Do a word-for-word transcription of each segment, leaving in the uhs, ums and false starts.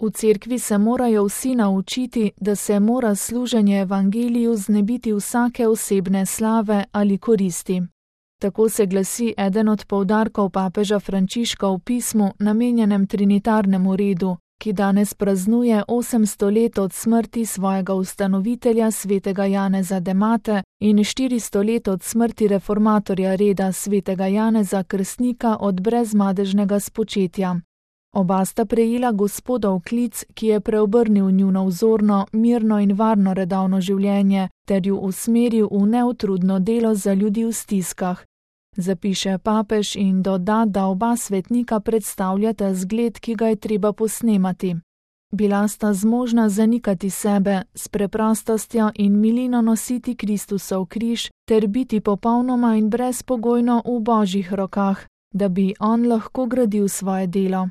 V cerkvi se morajo vsi naučiti, da se mora služenje evangeliju znebiti vsake osebne slave ali koristi. Tako se glasi eden od poudarkov papeža Frančiška v pismu, namenjenem trinitarnemu redu, ki danes praznuje osemsto let od smrti svojega ustanovitelja svetega Janeza Demate in štiristo let od smrti reformatorja reda svetega Janeza Krstnika od brezmadežnega spočetja. Oba sta prejela Gospodov klic, ki je preobrnil njuno vzorno, mirno in varno redovno življenje ter ju usmeril v neutrudno delo za ljudi v stiskah. Zapiše papež in doda, da oba svetnika predstavljata zgled, ki ga je treba posnemati. Bila sta zmožna zanikati sebe, s preprostostjo in milino nositi Kristusov križ ter biti popolnoma in brezpogojno v Božjih rokah, da bi on lahko gradil svoje delo.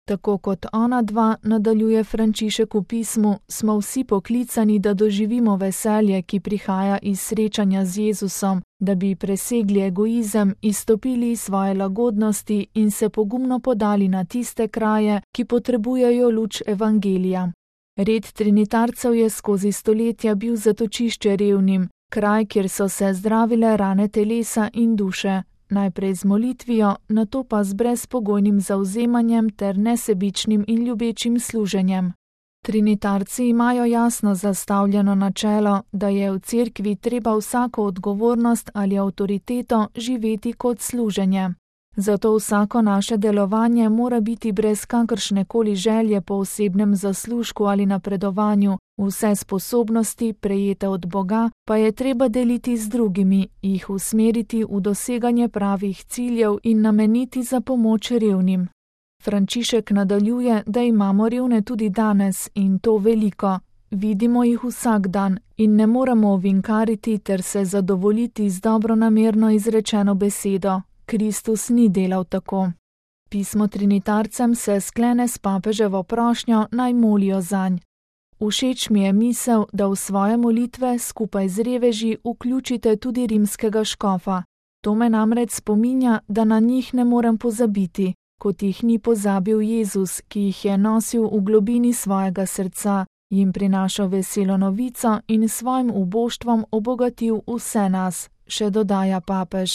Tako kot ona dva, nadaljuje Frančišek v pismu, smo vsi poklicani, da doživimo veselje, ki prihaja iz srečanja z Jezusom, da bi presegli egoizem, izstopili iz svoje lagodnosti in se pogumno podali na tiste kraje, ki potrebujejo luč evangelija. Red trinitarcev je skozi stoletja bil zatočišče revnim, kraj, kjer so se zdravile rane telesa in duše. Najprej z molitvijo, nato pa z brezpogojnim zavzemanjem ter nesebičnim in ljubečim služenjem. Trinitarci imajo jasno zastavljeno načelo, da je v cerkvi treba vsako odgovornost ali avtoriteto živeti kot služenje. Zato vsako naše delovanje mora biti brez kakršne koli želje po osebnem zaslužku ali napredovanju, vse sposobnosti, prejete od Boga, pa je treba deliti z drugimi, jih usmeriti v doseganje pravih ciljev in nameniti za pomoč revnim. Frančišek nadaljuje, da imamo revne tudi danes in to veliko. Vidimo jih vsak dan in ne moremo ovinkariti ter se zadovoljiti z dobronamerno izrečeno besedo. Kristus ni delal tako. Pismo trinitarcem se sklene s papeževo prošnjo, naj molijo zanj. Všeč mi je misel, da v svoje molitve skupaj z reveži vključite tudi rimskega škofa. To me namreč spominja, da na njih ne morem pozabiti, kot jih ni pozabil Jezus, ki jih je nosil v globini svojega srca, jim prinašal veselo novico in svojim uboštvom obogatil vse nas, še dodaja papež.